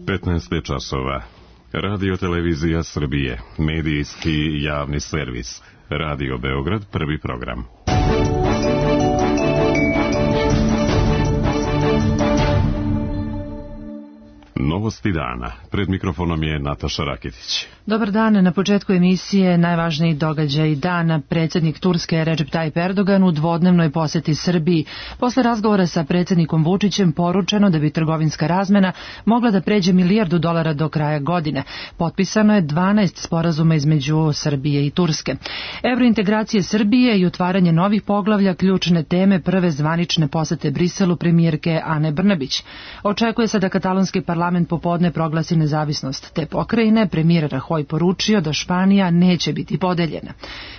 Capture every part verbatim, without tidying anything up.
petnaest časova. Radio Televizija Srbije, medijski javni servis. Radio Beograd, prvi program. Novosti dana. Pred mikrofonom je Nataša Rakitić. Dobar dan. Na početku emisije najvažniji događaj dana. Predsjednik Turske Recep Tayyip Erdogan u dvodnevnoj posjeti Srbiji. Posle razgovora sa predsjednikom Vučićem poručeno da bi trgovinska razmena mogla da pređe milijardu dolara do kraja godine. Potpisano je dvanaest sporazuma između Srbije i Turske. Evrointegracije Srbije i otvaranje novih poglavlja, ključne teme prve zvanične posete Briselu premijerke Ane Brnabić. Očekuje se da katalonski parlament popodne proglasi nezavisnost te pokrajine. Premijer Rajoy poručio da Španija neće biti podeljena.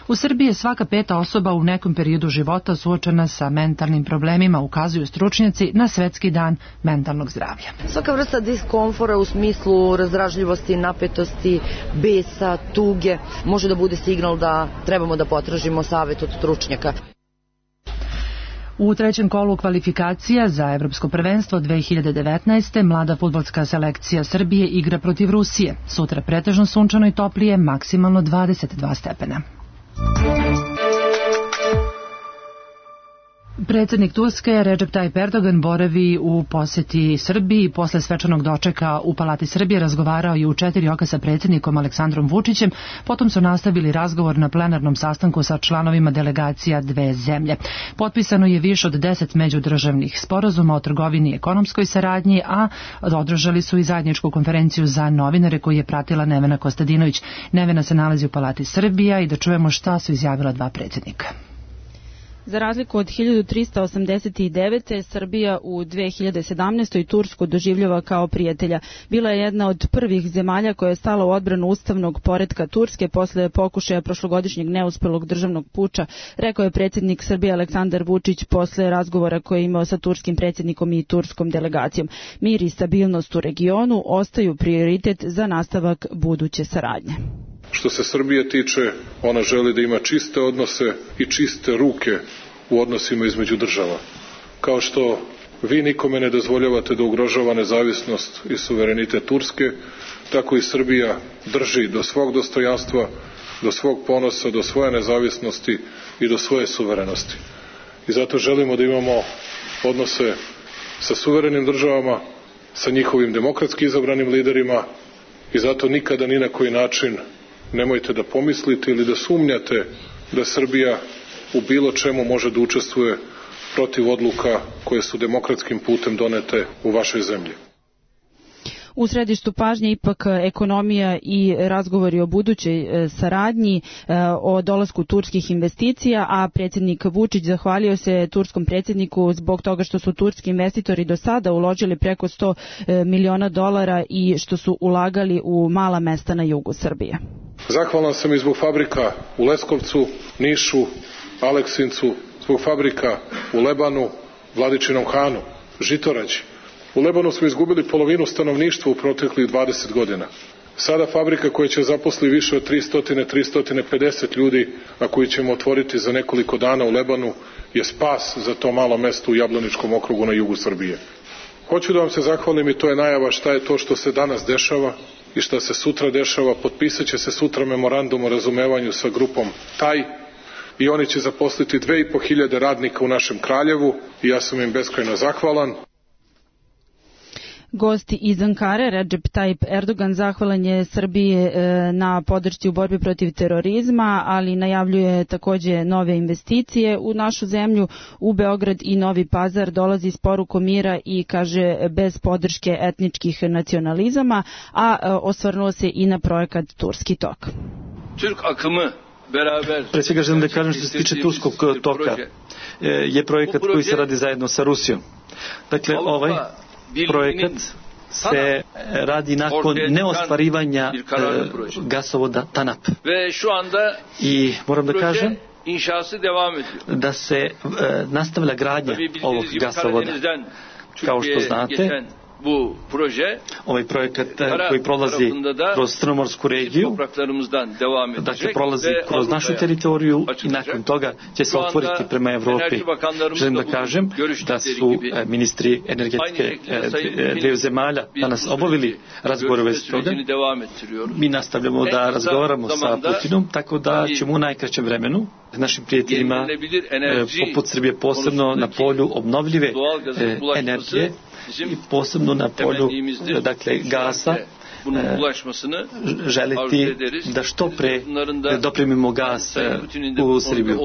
U Srbiji je svaka peta osoba u nekom periodu života suočena sa mentalnim problemima, ukazuju stručnjaci na Svetski dan mentalnog zdravlja. Svaka vrsta diskomfora u smislu razdražljivosti, napetosti, besa, tuge može da bude signal da trebamo da potražimo savjet od stručnjaka. U trećem kolu kvalifikacija za Evropsko prvenstvo dve hiljade devetnaeste. mlada fudbalska selekcija Srbije igra protiv Rusije. Sutra pretežno sunčano i toplije, maksimalno dvadeset dva stepena. Predsjednik Turske Recep Tayyip Erdogan boravi u posjeti Srbiji. Posle svečanog dočeka u Palati Srbije razgovarao je u četiri oka sa predsjednikom Aleksandrom Vučićem. Potom su nastavili razgovor na plenarnom sastanku sa članovima delegacija dve zemlje. Potpisano je više od deset međudržavnih sporazuma o trgovini i ekonomskoj saradnji, a održali su i zajedničku konferenciju za novinare koju je pratila Nevena Kostadinović. Nevena se nalazi u Palati Srbija i da čujemo šta su izjavila dva predsjednika. Za razliku od hiljadu trista osamdeset devete. Srbija u dve hiljade sedamnaestoj. Tursku doživljava kao prijatelja. Bila je jedna od prvih zemalja koja je stala u odbranu ustavnog poretka Turske posle pokušaja prošlogodišnjeg neuspelog državnog puča, rekao je predsjednik Srbije Aleksandar Vučić posle razgovora koje je imao sa turskim predsjednikom i turskom delegacijom. Mir i stabilnost u regionu ostaju prioritet za nastavak buduće saradnje. Što se Srbije tiče, ona želi da ima čiste odnose i čiste ruke u odnosima između država. Kao što vi nikome ne dozvoljavate da ugrožava nezavisnost i suverenitet Turske, tako i Srbija drži do svog dostojanstva, do svog ponosa, do svoje nezavisnosti i do svoje suverenosti. I zato želimo da imamo odnose sa suverenim državama, sa njihovim demokratski izabranim liderima i zato nikada ni na koji način nemojte da pomislite ili da sumnjate da Srbija u bilo čemu može da učestvuje protiv odluka koje su demokratskim putem donete u vašoj zemlji. U središtu pažnje ipak ekonomija i razgovori o budućoj saradnji, o dolasku turskih investicija, a predsjednik Vučić zahvalio se turskom predsjedniku zbog toga što su turski investitori do sada uložili preko sto miliona dolara i što su ulagali u mala mesta na jugu Srbije. Zahvalan sam i zbog fabrika u Leskovcu, Nišu, Aleksincu, zbog fabrika u Lebanu, Vladičinom Hanu, Žitorađi. U Lebanu smo izgubili polovinu stanovništva u proteklih dvadeset godina. Sada fabrika koja će zaposli više od tristo do tristo pedeset ljudi, a koju ćemo otvoriti za nekoliko dana u Lebanu, je spas za to malo mesto u Jablaničkom okrugu na jugu Srbije. Hoću da vam se zahvalim i to je najava šta je to što se danas dešava i šta se sutra dešava. Potpisat će se sutra memorandum o razumevanju sa grupom Taj i oni će zaposliti dve i po hiljade radnika u našem Kraljevu i ja sam im beskrajno zahvalan. Gosti iz Ankare, Recep Tayyip Erdogan zahvalan je Srbiji na podršci u borbi protiv terorizma, ali najavljuje takođe nove investicije u našu zemlju. U Beograd i Novi Pazar dolazi s porukom mira i, kaže, bez podrške etničkih nacionalizama, a osvrnuo se i na projekat Turski tok. Türk akımı beraber... Pre svega želim da kažem što se tiče Turskog toka, je projekat koji se radi zajedno sa Rusijom. Dakle, ovaj projekat se radi nakon neostvarivanja gasovoda TANAP. I moram da kažem da se nastavlja gradnja ovog gasovoda. Kao što znate, bu proje ovaj projekat koji prolazi kroz Crnomorsku regiju, dakle prolazi kroz našu teritoriju i nakon toga će se otvoriti prema Evropi. Želim da kažem da su ministri energetike dveju zemalja danas obavili razgovore u vezi toga. Mi nastavljamo da razgovaramo sa Putinom, tako da ćemo u najkraćem vremenu našim prijateljima poput Srbije, posebno na polju obnovljive energije i posebno na polju dakle gasa, želiti da što pre dopremimo gas u Srbiju.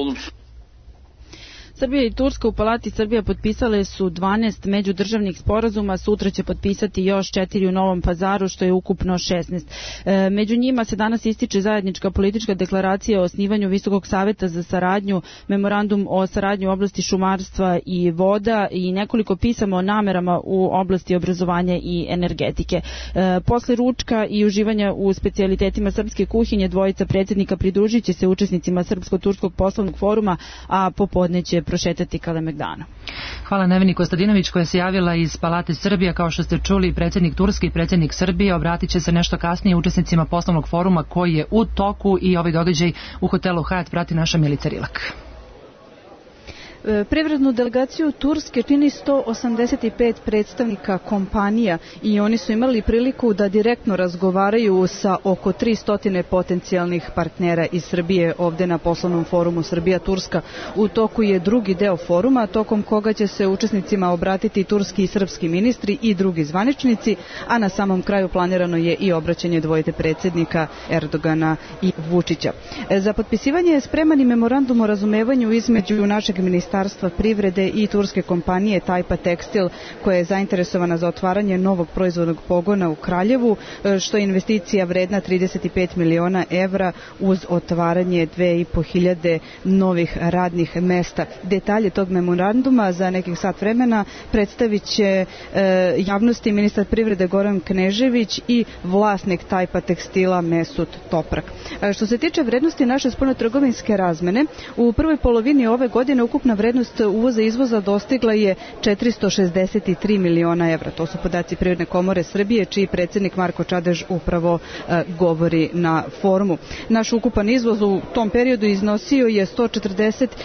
Srbija i Turska u Palati Srbija potpisale su dvanaest međudržavnih sporazuma, sutra će potpisati još četiri u Novom Pazaru, što je ukupno šesnaest. E, među njima se danas ističe zajednička politička deklaracija o osnivanju Visokog saveta za saradnju, memorandum o saradnji u oblasti šumarstva i voda i nekoliko pisama o namerama u oblasti obrazovanja i energetike. E, posle ručka i uživanja u specijalitetima srpske kuhinje, dvojica predsjednika pridružit će se učesnicima Srpsko-turskog poslovnog foruma, a popodne će prošetati Kalemegdanu. Hvala Neveni Kostadinović koja se javila iz Palate Srbija. Kao što ste čuli, predsjednik Turske i predsjednik Srbije obratit će se nešto kasnije učesnicima poslovnog foruma koji je u toku i ovaj događaj u hotelu Hyatt prati naša Milica Rilak. Privrednu delegaciju Turske čini sto osamdeset pet predstavnika kompanija i oni su imali priliku da direktno razgovaraju sa oko tristo potencijalnih partnera iz Srbije ovde na poslovnom forumu Srbija-Turska. U toku je drugi deo foruma, tokom koga će se učesnicima obratiti turski i srpski ministri i drugi zvaničnici, a na samom kraju planirano je i obraćanje dvojite predsjednika Erdogana i Vučića. Za potpisivanje je spreman i memorandum o razumevanju između našeg ministarstva Ministarstva privrede i turske kompanije Tajpa Tekstil, koja je zainteresovana za otvaranje novog proizvodnog pogona u Kraljevu, što je investicija vredna trideset pet miliona evra uz otvaranje dve i po hiljade novih radnih mesta. Detalje tog memoranduma za nekih sat vremena predstavit će e, javnosti ministar privrede Goran Knežević i vlasnik Tajpa Tekstila Mesut Toprak. E, što se tiče vrednosti naše spoljnotrgovinske razmene, u prvoj polovini ove godine ukupna vrednost uvoza i izvoza dostigla je četiristo šezdeset tri miliona evra. To su podaci Privredne komore Srbije, čiji predsjednik Marko Čadež upravo e, govori na forumu. Naš ukupan izvoz u tom periodu iznosio je sto četrdeset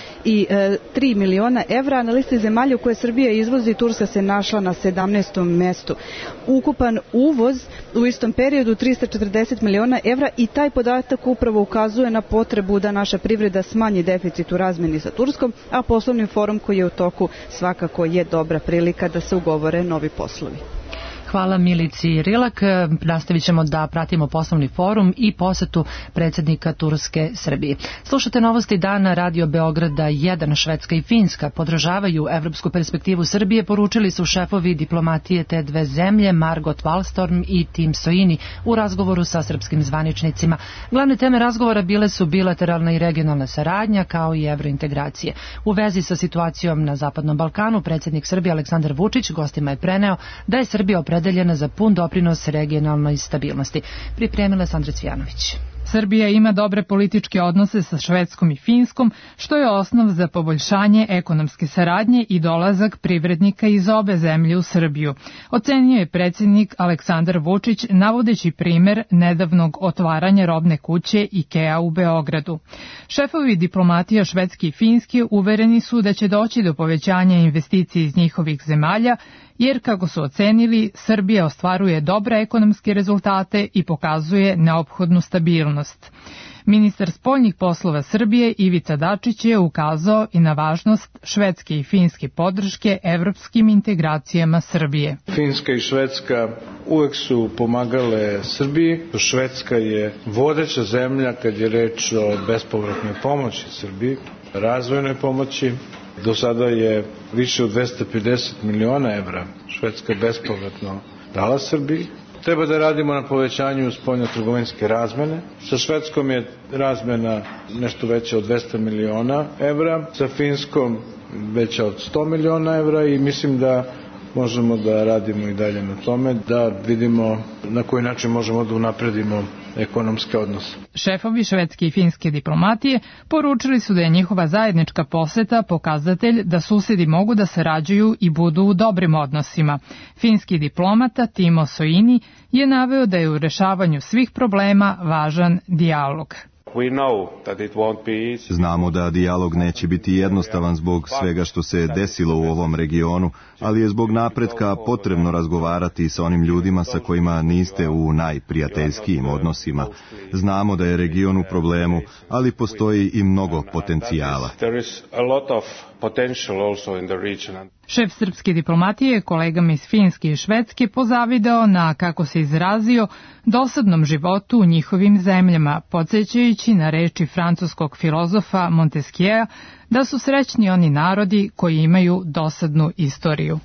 tri miliona evra, a na listi zemalja u koje Srbija izvozi Turska se našla na sedamnaestom mestu. Ukupan uvoz u istom periodu trista četrdeset miliona evra i taj podatak upravo ukazuje na potrebu da naša privreda smanji deficit u razmeni sa Turskom, a poslovni forum koji je u toku svakako je dobra prilika da se ugovore novi poslovi. Hvala Milici Rilak. Nastavit ćemo da pratimo poslovni forum i posetu predsjednika Turske Srbije. Slušate novosti dana Radio Beograda jedan. Švedska i Finska podržavaju evropsku perspektivu Srbije, poručili su šefovi diplomatije te dve zemlje Margot Wallström i Tim Soini u razgovoru sa srpskim zvaničnicima. Glavne teme razgovora bile su bilateralna i regionalna saradnja kao i evrointegracije. U vezi sa situacijom na Zapadnom Balkanu, predsjednik Srbije Aleksandar Vučić gostima je preneo da je Srbija opredeljena za pun doprinos regionalnoj stabilnosti. Pripremila je Sandra Cvijanović. Srbija ima dobre političke odnose sa Švedskom i Finskom, što je osnov za poboljšanje ekonomske saradnje i dolazak privrednika iz obe zemlje u Srbiju, ocenio je predsjednik Aleksandar Vučić, navodeći primer nedavnog otvaranja robne kuće IKEA u Beogradu. Šefovi diplomatija Švedske i Finske uvereni su da će doći do povećanja investicija iz njihovih zemalja, jer, kako su ocenili, Srbija ostvaruje dobre ekonomske rezultate i pokazuje neophodnu stabilnost. Ministar spoljnih poslova Srbije Ivica Dačić je ukazao i na važnost švedske i finske podrške evropskim integracijama Srbije. Finska i Švedska uvek su pomagale Srbiji. Švedska je vodeća zemlja kad je reč o bespovratnoj pomoći Srbiji, razvojnoj pomoći. Do sada je više od dvesta pedeset miliona evra Švedska bespovratno dala Srbiji. Treba da radimo na povećanju spoljnotrgovinske razmene. Sa Švedskom je razmena nešto veća od dvesta miliona evra, sa Finskom veća od sto miliona evra i mislim da možemo da radimo i dalje na tome, da vidimo na koji način možemo da unapredimo ekonomske odnose. Šefovi švedske i finske diplomatije poručili su da je njihova zajednička poseta pokazatelj da susedi mogu da sarađuju i budu u dobrim odnosima. Finski diplomata Timo Soini je naveo da je u rešavanju svih problema važan dijalog. Znamo da dijalog neće biti jednostavan zbog svega što se desilo u ovom regionu, ali je zbog napretka potrebno razgovarati sa onim ljudima sa kojima niste u najprijateljskijim odnosima. Znamo da je region u problemu, ali postoji i mnogo potencijala. Šef srpske diplomatije kolegama iz Finske i Švedske pozavidao na, kako se izrazio, dosadnom životu u njihovim zemljama, podsjećajući na reči francuskog filozofa Montesquieu da su srećni oni narodi koji imaju dosadnu istoriju.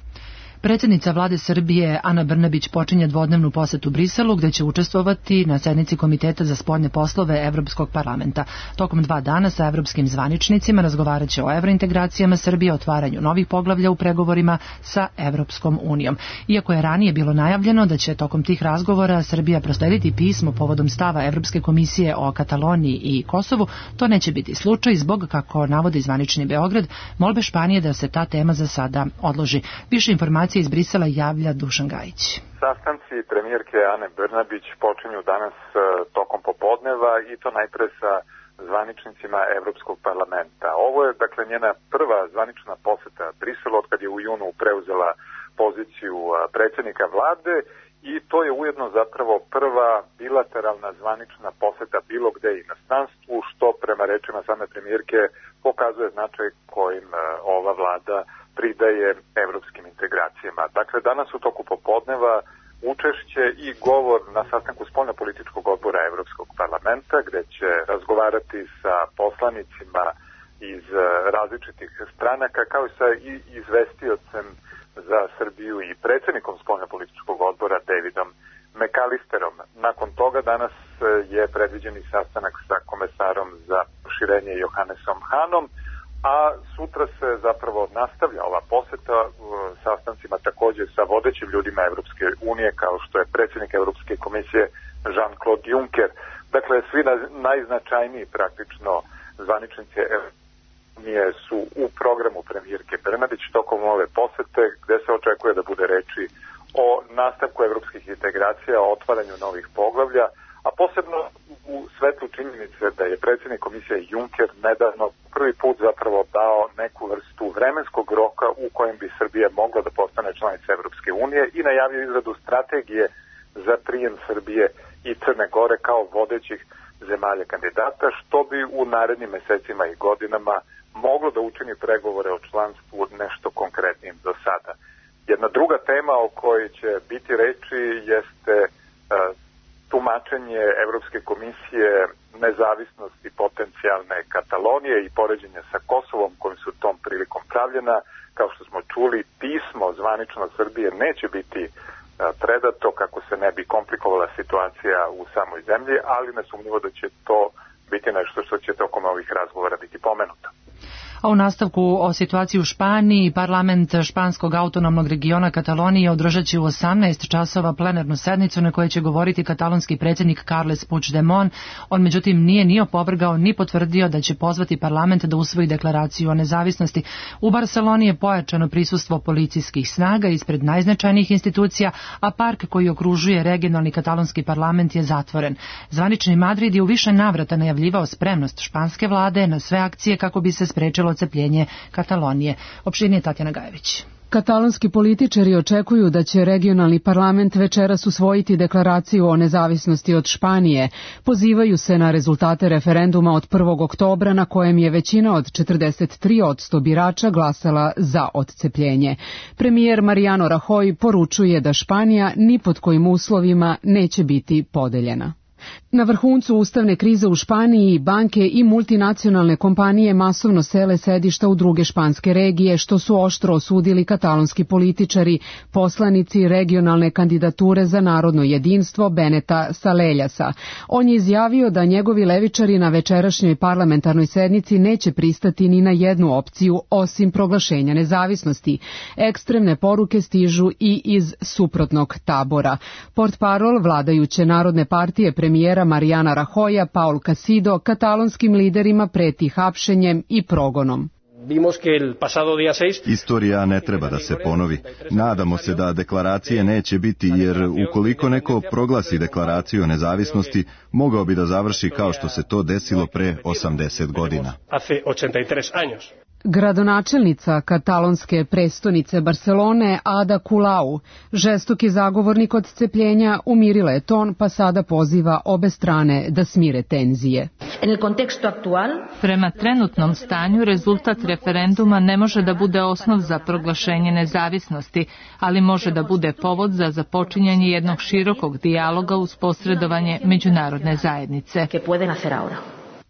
Predsjednica vlade Srbije Ana Brnabić počinje dvodnevnu posetu Briselu gde će učestvovati na sednici Komiteta za spoljne poslove Evropskog parlamenta. Tokom dva dana sa evropskim zvaničnicima razgovarat će o evrointegracijama Srbije, otvaranju novih poglavlja u pregovorima sa Evropskom unijom. Iako je ranije bilo najavljeno da će tokom tih razgovora Srbija proslediti pismo povodom stava Evropske komisije o Kataloniji i Kosovu, to neće biti slučaj zbog, kako navodi zvanični Beograd, molbe Španije da se ta tema za sada odloži. Više informacija iz Brisela javlja Dušan Gajić. Sastanci premijerke Ane Brnabić počinju danas tokom popodneva i to najpre sa zvaničnicima Evropskog parlamenta. Ovo je dakle njena prva zvanična poseta Briselu od kad je u junu preuzela poziciju predsjednika vlade i to je ujedno zapravo prva bilateralna zvanična poseta bilo gde i inostranstvu, što prema rečima same premijerke pokazuje značaj kojim ova vlada pridaje evropskim integracijama. Dakle, danas u toku popodneva učešće i govor na sastanku spoljnopolitičkog odbora Evropskog parlamenta, gde će razgovarati sa poslanicima iz različitih stranaka, kao i sa izvestiocem za Srbiju i predsjednikom spoljnopolitičkog odbora Davidom McAllisterom. Nakon toga danas je predviđeni sastanak sa komesarom za proširenje Johannesom Hanom, a sutra se zapravo nastavlja ova poseta sastancima također sa vodećim ljudima Evropske unije, kao što je predsjednik Evropske komisije Jean-Claude Juncker. Dakle, svi najznačajniji praktično zvaničnici Unije su u programu premijerke Brnabić tokom ove posete, gde se očekuje da bude reči o nastavku evropskih integracija, o otvaranju novih poglavlja, a posebno u svetlu činjenice da je predsjednik komisije Juncker nedavno prvi put zapravo dao neku vrstu vremenskog roka u kojem bi Srbija mogla da postane članica Evropske unije i najavio izradu strategije za prijem Srbije i Crne Gore kao vodećih zemalja kandidata, što bi u narednim mesecima i godinama moglo da učini pregovore o članstvu nešto konkretnim do sada. Jedna druga tema o kojoj će biti reči jeste tumačenje Evropske komisije nezavisnosti potencijalne Katalonije i poređenja sa Kosovom kojim su tom prilikom pravljena. Kao što smo čuli, pismo zvanično Srbije neće biti predato kako se ne bi komplikovala situacija u samoj zemlji, ali nesumnjivo da će to biti nešto što će tokom ovih razgovora biti pomenuto. A u nastavku o situaciji u Španiji, parlament španskog autonomnog regiona Katalonije održat će u osamnaest časova plenarnu sednicu na kojoj će govoriti katalonski predsjednik Carles Puigdemont. On međutim nije ni opovrgao ni potvrdio da će pozvati parlament da usvoji deklaraciju o nezavisnosti. U Barseloni je pojačano prisustvo policijskih snaga ispred najznačajnijih institucija, a park koji okružuje regionalni katalonski parlament je zatvoren. Zvanični Madrid je u više navrata najavljivao spremnost španske vlade na sve akcije kako bi se sprečilo odcepljenje Katalonije. Opširnije Tatjana Gajević. Katalonski političari očekuju da će regionalni parlament večeras usvojiti deklaraciju o nezavisnosti od Španije. Pozivaju se na rezultate referenduma od prvog oktobra na kojem je većina od četrdeset tri posto birača glasala za odcepljenje. Premijer Mariano Rajoy poručuje da Španija ni pod kojim uslovima neće biti podeljena. Na vrhuncu ustavne krize u Španiji banke i multinacionalne kompanije masovno sele sedišta u druge španske regije, što su oštro osudili katalonski političari, poslanici regionalne kandidature za narodno jedinstvo Beneta Saleljasa. On je izjavio da njegovi levičari na večerašnjoj parlamentarnoj sednici neće pristati ni na jednu opciju osim proglašenja nezavisnosti. Ekstremne poruke stižu i iz suprotnog tabora. Portparol vladajuće Narodne partije premijera premijera Mariana Rajoja, Paul Casido, katalonskim liderima preti hapšenjem i progonom. Istorija ne treba da se ponovi. Nadamo se da deklaracije neće biti, jer ukoliko neko proglasi deklaraciju o nezavisnosti, mogao bi da završi kao što se to desilo pre osamdeset godina. Gradonačelnica katalonske prestonice Barcelone Ada Colau, žestoki zagovornik odcepljenja, umirila je ton pa sada poziva obe strane da smire tenzije. Prema trenutnom stanju, rezultat referenduma ne može da bude osnov za proglašenje nezavisnosti, ali može da bude povod za započinjanje jednog širokog dijaloga uz posredovanje međunarodne zajednice.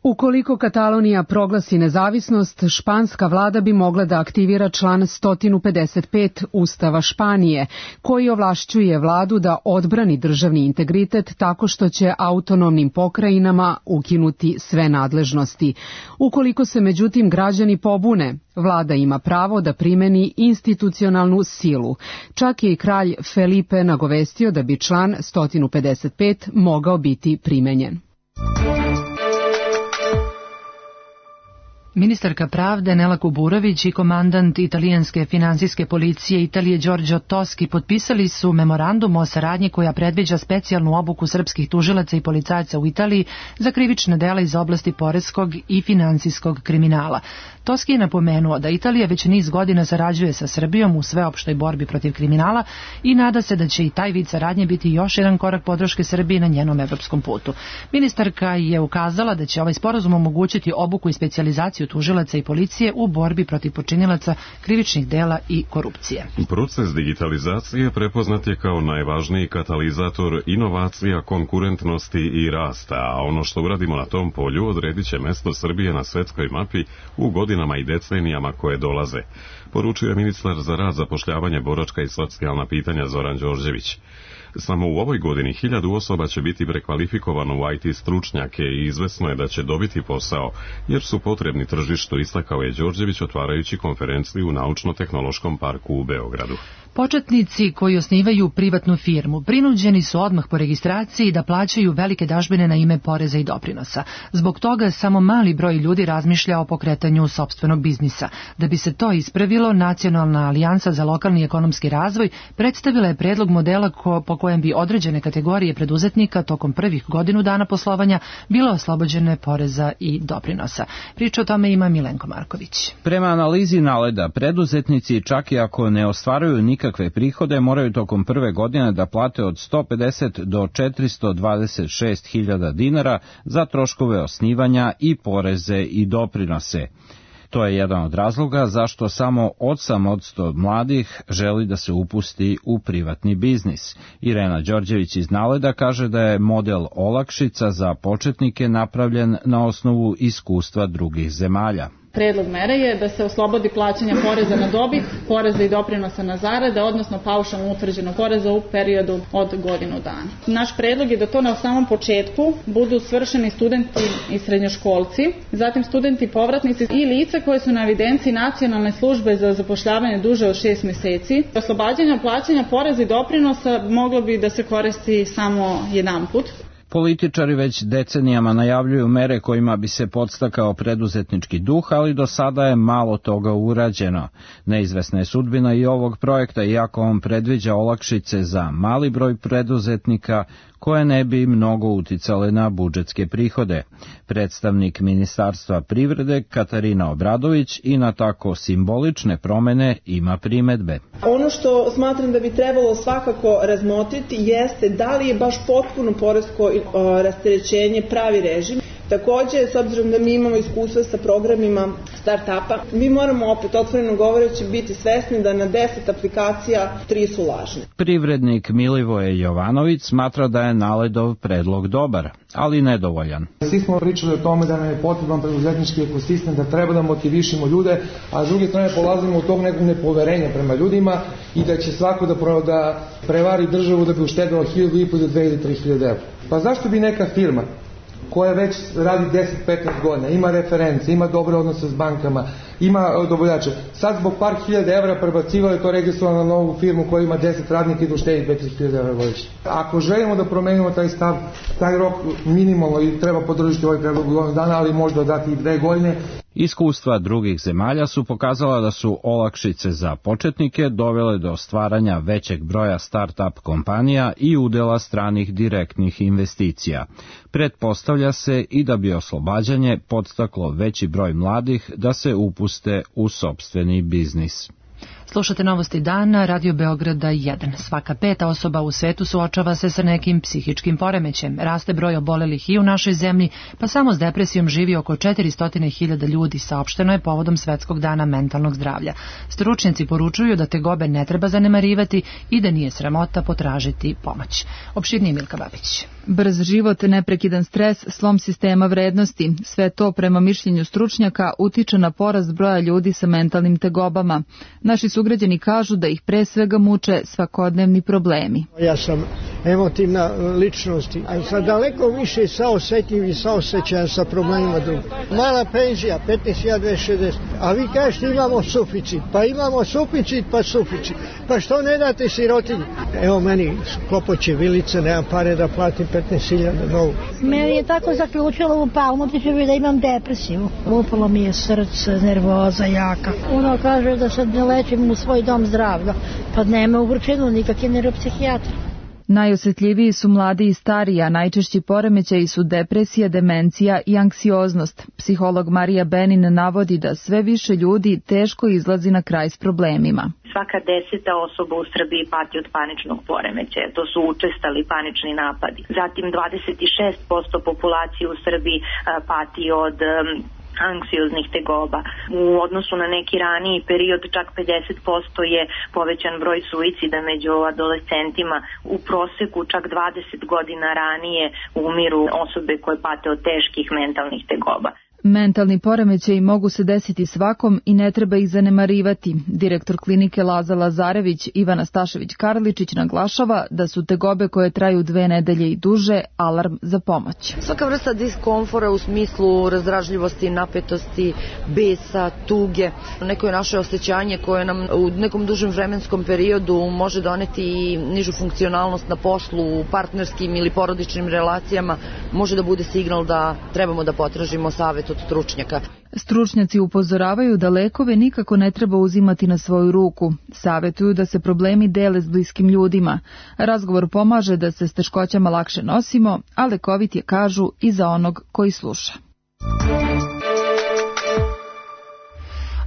Ukoliko Katalonija proglasi nezavisnost, španska vlada bi mogla da aktivira član sto pedeset pet Ustava Španije, koji ovlašćuje vladu da odbrani državni integritet tako što će autonomnim pokrajinama ukinuti sve nadležnosti. Ukoliko se međutim građani pobune, vlada ima pravo da primeni institucionalnu silu. Čak je i kralj Felipe nagovestio da bi član sto pedeset pet mogao biti primenjen. Ministarka pravde Nela Kuburović i komandant italijanske finansijske policije Italije Giorgio Toschi potpisali su memorandum o saradnji koja predviđa specijalnu obuku srpskih tužilaca i policajaca u Italiji za krivična dela iz oblasti poreskog i finansijskog kriminala. Toschi je napomenuo da Italija već niz godina sarađuje sa Srbijom u sveopštoj borbi protiv kriminala i nada se da će i taj vid saradnje biti još jedan korak podrške Srbiji na njenom evropskom putu. Ministarka je ukazala da će ovaj sporazum omogućiti obuku i specijalizaciju tužilaca i policije u borbi protiv počinilaca krivičnih dela i korupcije. Proces digitalizacije prepoznat je kao najvažniji katalizator inovacija, konkurentnosti i rasta, a ono što uradimo na tom polju odredit će mesto Srbije na svetskoj mapi u godinama i decenijama koje dolaze, poručuje ministar za rad, zapošljavanje, boračka i socijalna pitanja Zoran Đorđević. Samo u ovoj godini hiljadu osoba će biti prekvalifikovano u I T stručnjake i izvesno je da će dobiti posao, jer su potrebni tržištu, istakao je Đorđević otvarajući konferenciju u Naučno-tehnološkom parku u Beogradu. Početnici koji osnivaju privatnu firmu prinuđeni su odmah po registraciji da plaćaju velike dažbine na ime poreza i doprinosa. Zbog toga samo mali broj ljudi razmišlja o pokretanju sopstvenog biznisa. Da bi se to ispravilo, Nacionalna alijansa za lokalni ekonomski razvoj predstavila je predlog modela ko, po kojem bi određene kategorije preduzetnika tokom prvih godinu dana poslovanja bile oslobođene poreza i doprinosa. Priča o tome ima Milenko Marković. Prema analizi Naleda, preduzetnici čak i ako ne ostvaruju nikakve Kakve prihode moraju tokom prve godine da plate od sto pedeset do četiristo dvadeset šest hiljada dinara za troškove osnivanja i poreze i doprinose. To je jedan od razloga zašto samo osam posto mladih želi da se upusti u privatni biznis. Irena Đorđević iz Naleda kaže da je model olakšica za početnike napravljen na osnovu iskustva drugih zemalja. Predlog mere je da se oslobodi plaćanja poreza na dobit, poreza i doprinosa na zarade, odnosno paušalno utvrđenog poreza u periodu od godinu dana. Naš predlog je da to na samom početku budu svršeni studenti i srednjoškolci, zatim studenti povratnici i lice koje su na evidenciji Nacionalne službe za zapošljavanje duže od šest meseci. Oslobađanje plaćanja poreza i doprinosa moglo bi da se koristi samo jedan put. Političari već decenijama najavljuju mere kojima bi se podstakao preduzetnički duh, ali do sada je malo toga urađeno. Neizvesna je sudbina i ovog projekta, iako on predviđa olakšice za mali broj preduzetnika koje ne bi mnogo uticale na budžetske prihode. Predstavnik Ministarstva privrede Katarina Obradović i na tako simbolične promene ima primedbe. Ono što smatram da bi trebalo svakako razmotriti jeste da li je baš potpuno poresko rasterećenje pravi režim. Takođe, s obzirom da mi imamo iskustva sa programima start-upa, mi moramo opet otvoreno govoreći biti svesni da na deset aplikacija tri su lažne. Privrednik Milivoje Jovanović smatra da je Naledov predlog dobar, ali nedovoljan. Svi smo pričali o tome da nam je potreban preduzetnički ekosistem, da treba da motivišemo ljude, a s druge strane polazimo od tog nekog nepoverenja prema ljudima i da će svako da, da prevari državu da bi uštedilo hiljadu i po do dve ili tri hiljade evra. Pa zašto bi neka firma koja već radi deset do petnaest godina, ima reference, ima dobre odnose s bankama, ima dobavljače. Sad zbog par hiljada evra prebacivali to registrovano na novu firmu koja ima deset radnika i da uštedi petnaest hiljada evra godišnje. Ako želimo da promenimo taj stav, taj rok minimalno i treba podržiti ovaj predlog godinu dana, ali možda dati i dve godine. Iskustva drugih zemalja su pokazala da su olakšice za početnike dovele do stvaranja većeg broja start-up kompanija i udela stranih direktnih investicija. Pretpostavlja se i da bi oslobađanje podstaklo veći broj mladih da se upuste u sopstveni biznis. Slušate Novosti dana, Radio Beograda jedan. Svaka peta osoba u svetu suočava se sa nekim psihičkim poremećajem. Raste broj obolelih i u našoj zemlji, pa samo s depresijom živi oko četiristo hiljada ljudi, saopšteno je povodom Svetskog dana mentalnog zdravlja. Stručnjaci poručuju da tegobe ne treba zanemarivati i da nije sramota potražiti pomoć. Opširnije Milka Babić. Brz život, neprekidan stres, slom sistema vrednosti, sve to prema mišljenju stručnjaka utiče na porast broja ljudi sa mentalnim tegobama. Naši sugrađani kažu da ih pre svega muče svakodnevni problemi. Ja sam emotivna ličnost, a sad daleko više saosetljiv i saosećajan sa problemima drugih. Mala penzija, petnaest hiljada dvesta šezdeset, a vi kažete imamo suficit, pa imamo suficit pa suficit, pa što ne date sirotinji? Evo meni klopoće vilice, nemam pare da platim petnaest hiljada novu. Meni je tako zaključilo u palmotiću da imam depresiju. Upalo mi je srce, nervoza jaka. Ono kaže da sad ne lečim u svoj dom zdravlja, pa nema u Vrčinu nikakve neuropsihijatra. Najosjetljiviji su mladi i stariji, a najčešći poremećaji su depresija, demencija i anksioznost. Psiholog Marija Benin navodi da sve više ljudi teško izlazi na kraj s problemima. Svaka deseta osoba u Srbiji pati od paničnog poremećaja, to su učestali panični napadi. Zatim dvadeset šest posto populacije u Srbiji pati od anksioznih tegoba. U odnosu na neki raniji period čak pedeset posto je povećan broj suicida među adolescentima. U proseku čak dvadeset godina ranije umiru osobe koje pate od teških mentalnih tegoba. Mentalni poremećaji mogu se desiti svakom i ne treba ih zanemarivati. Direktor klinike Laza Lazarević Ivana Stašević-Karličić naglašava da su tegobe koje traju dve nedelje i duže alarm za pomoć. Svaka vrsta diskomfora u smislu razdražljivosti, napetosti, besa, tuge, neko je naše osjećanje koje nam u nekom dužem vremenskom periodu može doneti i nižu funkcionalnost na poslu, u partnerskim ili porodičnim relacijama, može da bude signal da trebamo da potražimo savet od stručnjaka. Stručnjaci upozoravaju da lekove nikako ne treba uzimati na svoju ruku. Savetuju da se problemi dele s bliskim ljudima. Razgovor pomaže da se s teškoćama lakše nosimo, a lekovit je, kažu, i za onog koji sluša.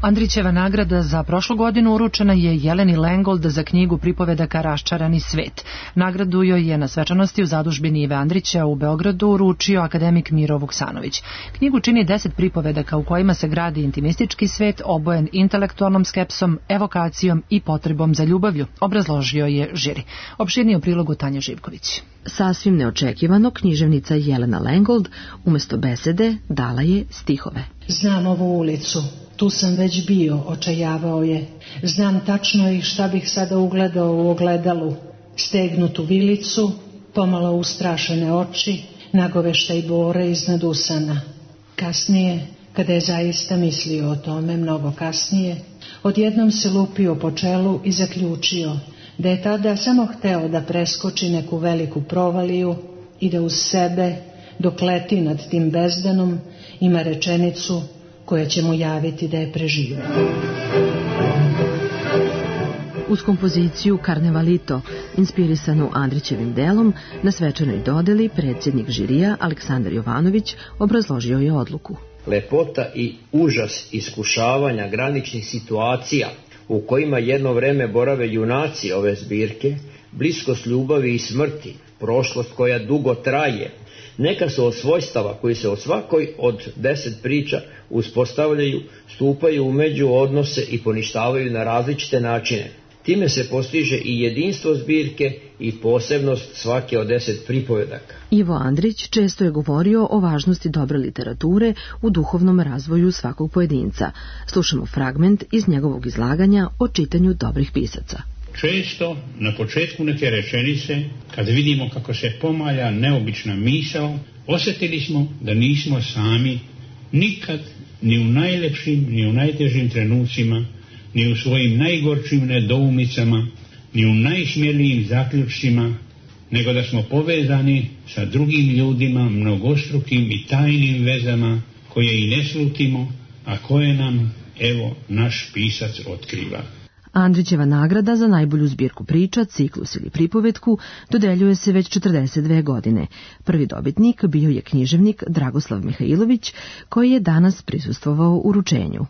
Andrićeva nagrada za prošlu godinu uručena je Jeleni Lengold za knjigu pripovedaka Raščarani svet. Nagradu joj je na svečanosti u zadužbini Ive Andrića u Beogradu uručio akademik Miro Vuksanović. Knjigu čini deset pripovedaka u kojima se gradi intimistički svet obojen intelektualnom skepsom, evokacijom i potrebom za ljubavlju, obrazložio je žiri. Opširnije u prilogu Tanja Živković. Sasvim neočekivano, književnica Jelena Lengold umesto besede dala je stihove. Znam ovu ulicu, tu sam već bio, očajavao je. Znam tačno i šta bih sada ugledao u ogledalu. Stegnutu vilicu, pomalo ustrašene oči, nagoveštaj bore iznad usana. Kasnije, kada je zaista mislio o tome, mnogo kasnije, odjednom se lupio po čelu i zaključio da je tada samo hteo da preskoči neku veliku provaliju i da uz sebe, dok leti nad tim bezdanom, ima rečenicu koja će mu javiti da je preživio. Uz kompoziciju Karnevalito, inspirisanu Andrićevim delom, na svečanoj dodeli predsjednik žirija Aleksandar Jovanović obrazložio je odluku. Lepota i užas iskušavanja graničnih situacija u kojima jedno vreme borave junaci ove zbirke, bliskost ljubavi i smrti, prošlost koja dugo traje, neka su od svojstava koji se od svakoj od deset priča uspostavljaju, stupaju u međuodnose i poništavaju na različite načine. Time se postiže i jedinstvo zbirke i posebnost svake od deset pripovedaka. Ivo Andrić često je govorio o važnosti dobre literature u duhovnom razvoju svakog pojedinca. Slušamo fragment iz njegovog izlaganja o čitanju dobrih pisaca. Često na početku neke rečenice, kad vidimo kako se pomalja neobična misao, Osjetili smo da nismo sami nikad, ni u najlepšim, ni u najtežim trenucima, ni u svojim najgorčim nedoumicama, ni u najsmjelijim zaključcima, nego da smo povezani sa drugim ljudima, mnogostrukim i tajnim vezama koje i ne slutimo, a koje nam, evo, naš pisac otkriva. Andrićeva nagrada za najbolju zbirku priča, ciklus ili pripovetku dodeljuje se već četrdeset dve godine. Prvi dobitnik bio je književnik Dragoslav Mihajlović, koji je danas prisustvovao uručenju.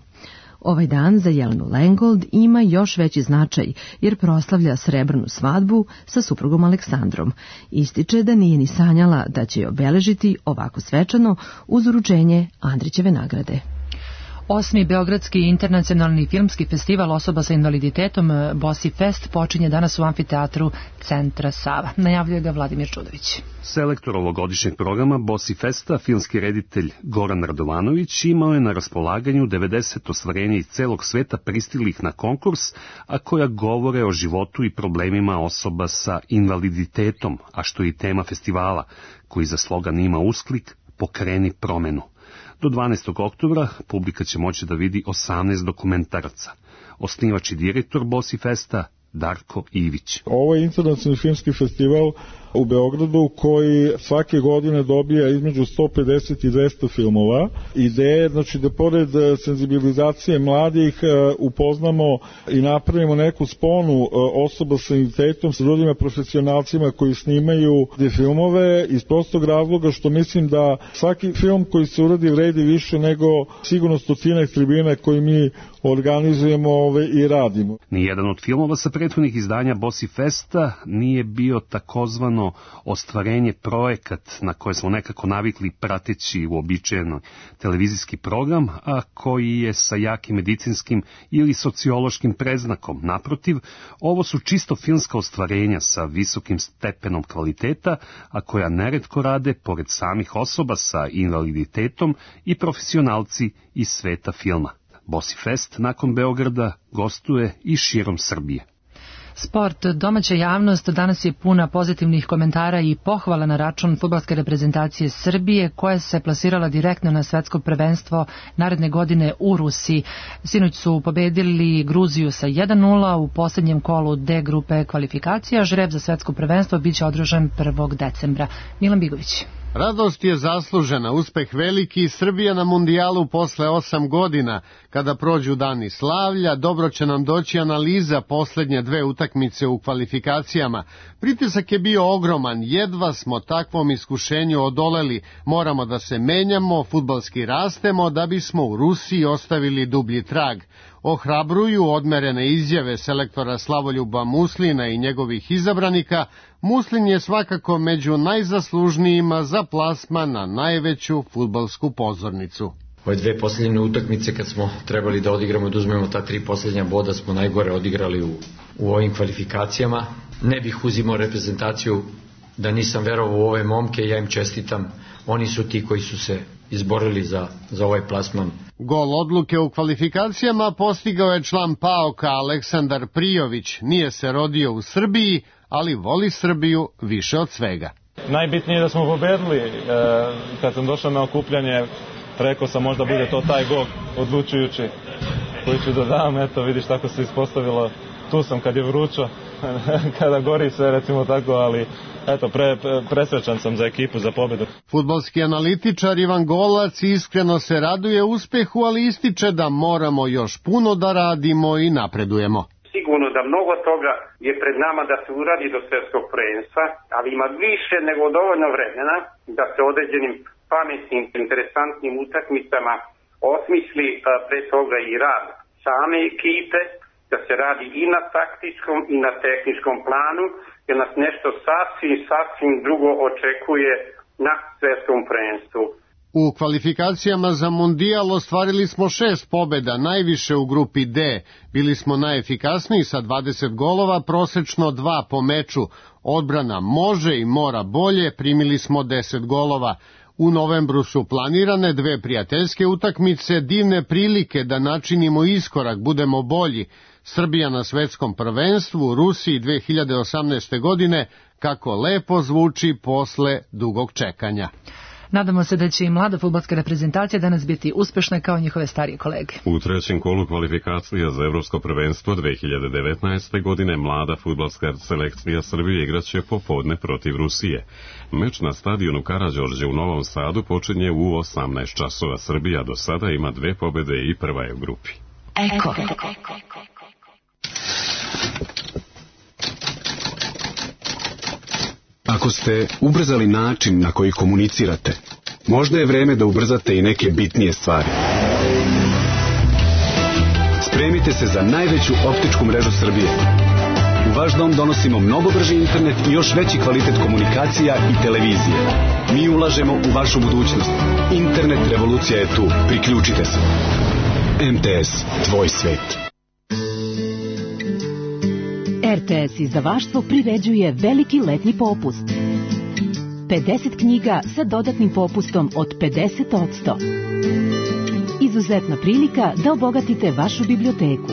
Ovaj dan za Jelenu Lengold ima još veći značaj jer proslavlja srebrnu svadbu sa suprugom Aleksandrom. Ističe da nije ni sanjala da će je obeležiti ovako svečano uz uručenje Andrićeve nagrade. Osmi Beogradski internacionalni filmski festival osoba sa invaliditetom Bosi Fest počinje danas u amfiteatru Centra Sava. Najavljuje ga Vladimir Čudović. Selektor ovogodišnjeg programa Bosi Festa, filmski reditelj Goran Radovanović, imao je na raspolaganju devedeset ostvarenja iz celog sveta pristilih na konkurs, a koja govore o životu i problemima osoba sa invaliditetom, a što je i tema festivala, koji za slogan ima usklik Pokreni promenu. Do dvanaestog oktobra publika će moći da vidi osamnaest dokumentaraca. Osnivač i direktor Bosi Festa Darko Ivić. Ovo je internacionalni filmski festival u Beogradu koji svake godine dobija između sto pedeset i dvesta filmova. Ideje, znači da pored senzibilizacije mladih upoznamo i napravimo neku sponu osoba sa invaliditetom sa drugima profesionalcima koji snimaju te filmove iz prostog razloga što mislim da svaki film koji se uradi vredi više nego sigurno stotinak tribina koji mi organizujemo ove i radimo. Nijedan od filmova sa prethodnih izdanja Bosi Festa nije bio takozvano ostvarenje projekat na koje smo nekako navikli prateći uobičajeno televizijski program, a koji je sa jakim medicinskim ili sociološkim predznakom. Naprotiv, ovo su čisto filmska ostvarenja sa visokim stepenom kvaliteta, a koja neretko rade pored samih osoba sa invaliditetom i profesionalci iz sveta filma. Bosi Fest nakon Beograda gostuje i širom Srbije. Sport. Domaća javnost danas je puna pozitivnih komentara i pohvala na račun fudbalske reprezentacije Srbije koja se plasirala direktno na svetsko prvenstvo naredne godine u Rusiji. Sinoć su pobedili Gruziju sa jedan nula u posljednjem kolu D grupe kvalifikacija. Žreb za svetsko prvenstvo biće održan prvog decembra. Milan Bigović. Radost je zaslužena, uspeh veliki, Srbija na mundijalu posle osam godina. Kada prođu dani slavlja, dobro će nam doći analiza posljednje dve utakmice u kvalifikacijama. Pritisak je bio ogroman, jedva smo takvom iskušenju odoleli. Moramo da se menjamo, fudbalski rastemo, da bismo u Rusiji ostavili dublji trag. Ohrabruju odmerene izjave selektora Slavoljuba Muslina i njegovih izabranika. Muslin je svakako među najzaslužnijima za plasman na najveću fudbalsku pozornicu. Ove dve posljednje utakmice kad smo trebali da odigramo, da uzmemo ta tri posljednja boda, smo najgore odigrali u, u ovim kvalifikacijama. Ne bih uzimao reprezentaciju da nisam verovao u ove momke, ja im čestitam. Oni su ti koji su se izborili za, za ovaj plasman. Gol odluke u kvalifikacijama postigao je član PAOK-a Aleksandar Prijović. Nije se rodio u Srbiji, ali voli Srbiju više od svega. Najbitnije je da smo pobedili. E, kad sam došao na okupljanje, rekao sam možda bude to taj gol odlučujući koji ću da dam. Eto, vidiš tako se ispostavilo. Tu sam kad je vrućo, kada gori se, recimo tako, ali eto, pre, pre, presrećan sam za ekipu, za pobedu. Fudbalski analitičar Ivan Golac iskreno se raduje uspehu, ali ističe da moramo još puno da radimo i napredujemo. Sigurno da mnogo toga je pred nama da se uradi do svjetskog prvenstva, ali ima više nego dovoljno vremena da se određenim pametnim, interesantnim utakmicama osmisli pre toga i rad same ekipe, da se radi i na taktičkom i na tehničkom planu, jer nas nešto sasvim, sasvim drugo očekuje na svjetskom prvenstvu. U kvalifikacijama za mundijal ostvarili smo šest pobjeda, najviše u grupi D. Bili smo najefikasniji sa dvadeset golova, prosečno dva po meču. Odbrana može i mora bolje, primili smo deset golova. U novembru su planirane dve prijateljske utakmice, divne prilike da načinimo iskorak, budemo bolji. Srbija na svetskom prvenstvu u Rusiji dve hiljade osamnaeste. godine, kako lepo zvuči posle dugog čekanja. Nadamo se da će i mlada fudbalska reprezentacija danas biti uspešna kao njihove starije kolege. U trećem kolu kvalifikacija za Evropsko prvenstvo dve hiljade devetnaeste. godine mlada fudbalska selekcija Srbije igraće popodne protiv Rusije. Meč na stadionu Karađorđe u Novom Sadu počinje u osamnaest časova. Srbija do sada ima dve pobede i prva je u grupi. Eko. Ako ste ubrzali način na koji komunicirate, možda je vreme da ubrzate i neke bitnije stvari. Spremite se za najveću optičku mrežu Srbije. U vaš dom donosimo mnogo brži internet i još veći kvalitet komunikacija i televizije. Mi ulažemo u vašu budućnost. Internet revolucija je tu. Priključite se. M T S, tvoj svet. R T S izdavaštvo priređuje veliki letnji popust. pedeset knjiga sa dodatnim popustom od pedeset posto. Izuzetna prilika da obogatite vašu biblioteku.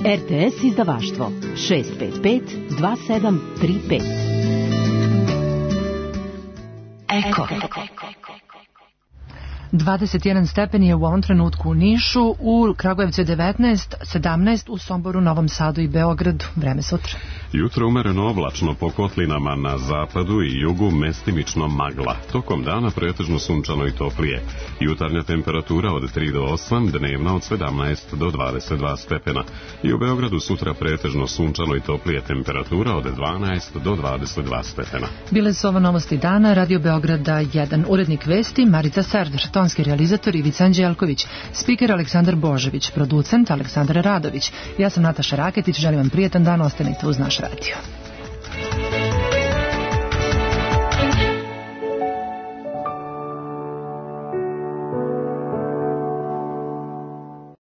R T S izdavaštvo šest pet pet dva sedam tri pet. Eko. dvadeset jedan stepeni je u ovom trenutku u Nišu, u Kragujevcu je devetnaest, sedamnaest u Somboru, Novom Sadu i Beogradu. Vreme sutra. Jutro umereno oblačno, po kotlinama na zapadu i jugu mestimično magla. Tokom dana pretežno sunčano i toplije. Jutarnja temperatura od tri do osam, dnevna od sedamnaest do dvadeset dva stepena. I u Beogradu sutra pretežno sunčano i toplije, temperatura od dvanaest do dvadeset dva stepena. Bile su ovo novosti dana, Radio Beograda jedan. Urednik vesti Marica Serdar, tonski realizator Ivica Anđelković, spiker Aleksandar Božević, producent Aleksandar Radović. Ja sam Nataša Raketić, želim vam prijetan dan, ostanite uz naš radio.